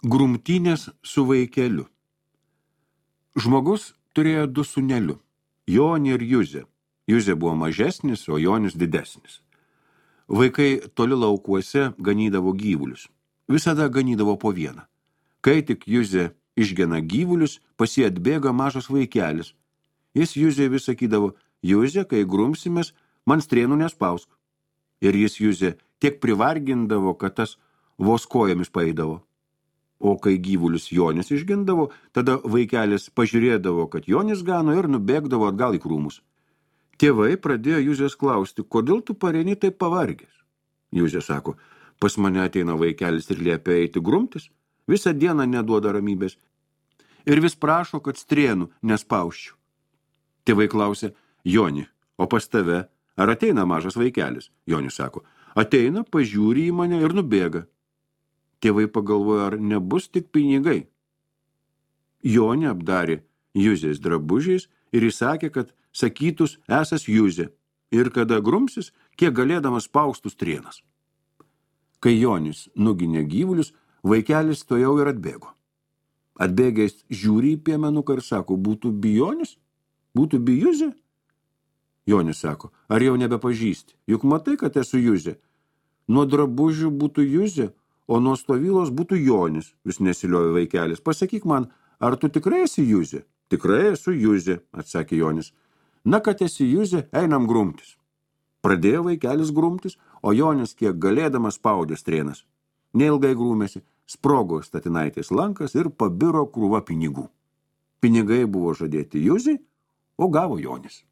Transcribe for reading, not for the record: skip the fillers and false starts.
Grumtynės su vaikeliu. Žmogus turėjo du sūnelių – Jonį ir Juzę. Juzė buvo mažesnis, o Jonis didesnis. Vaikai toli laukuose ganydavo gyvulius. Visada ganydavo po vieną. Kai tik Juzė išgena gyvulius, pas jį atbėga mažas vaikelis. Jis Juzė vis sakydavo: Juzė, kai grumsimės, man strėnų nespausk. Ir jis Juzė tiek privargindavo, kad tas vos kojomis paeidavo. O kai gyvulius Jonis išgindavo, tada vaikelis pažiūrėdavo, kad Jonis gano ir nubėgdavo atgal į krūmus. Tėvai pradėjo Juzės klausti: kodėl tu pareini taip pavargęs? Juzė sako: pas mane ateina vaikelis ir liepia eiti grumtis, visą dieną neduoda ramybės ir vis prašo, kad strėnų nespauščiau. Tėvai klausė: Joni, o pas tave ar ateina mažas vaikelis? Jonis sako: ateina, pažiūri į mane ir nubėga. Tėvai pagalvojo, ar nebus tik pinigai. Jonį apdarė Juzės drabužiais ir įsakė, kad sakytus esas Juzė ir kada grumsis, kiek galėdamas spaustų strėnas. Kai Jonis nuginė gyvulius, vaikelis tojau ir atbėgo. Atbėgęs žiūri į piemenuką ir sako: būtų bijonis? Būtų bijuzė? Jonis sako: ar jau nebepažįsti? Juk matai, kad esu Juzė. Nuo drabužių būtų Juzė, o nuo stovylos būtų Jonis, vis nesiliojo vaikelis. Pasakyk man, ar tu tikrai esi Juzė? Tikrai esu Juzė, atsakė Jonis. Na, kad esi Juzė, einam grumtis. Pradėjo vaikelis grumtis, o Jonis kiek galėdamas spaudė strėnas. Neilgai grūmėsi, sprogo statinaitės lankas ir pabiro krūva pinigų. Pinigai buvo žadėti Juzei, o gavo Jonis.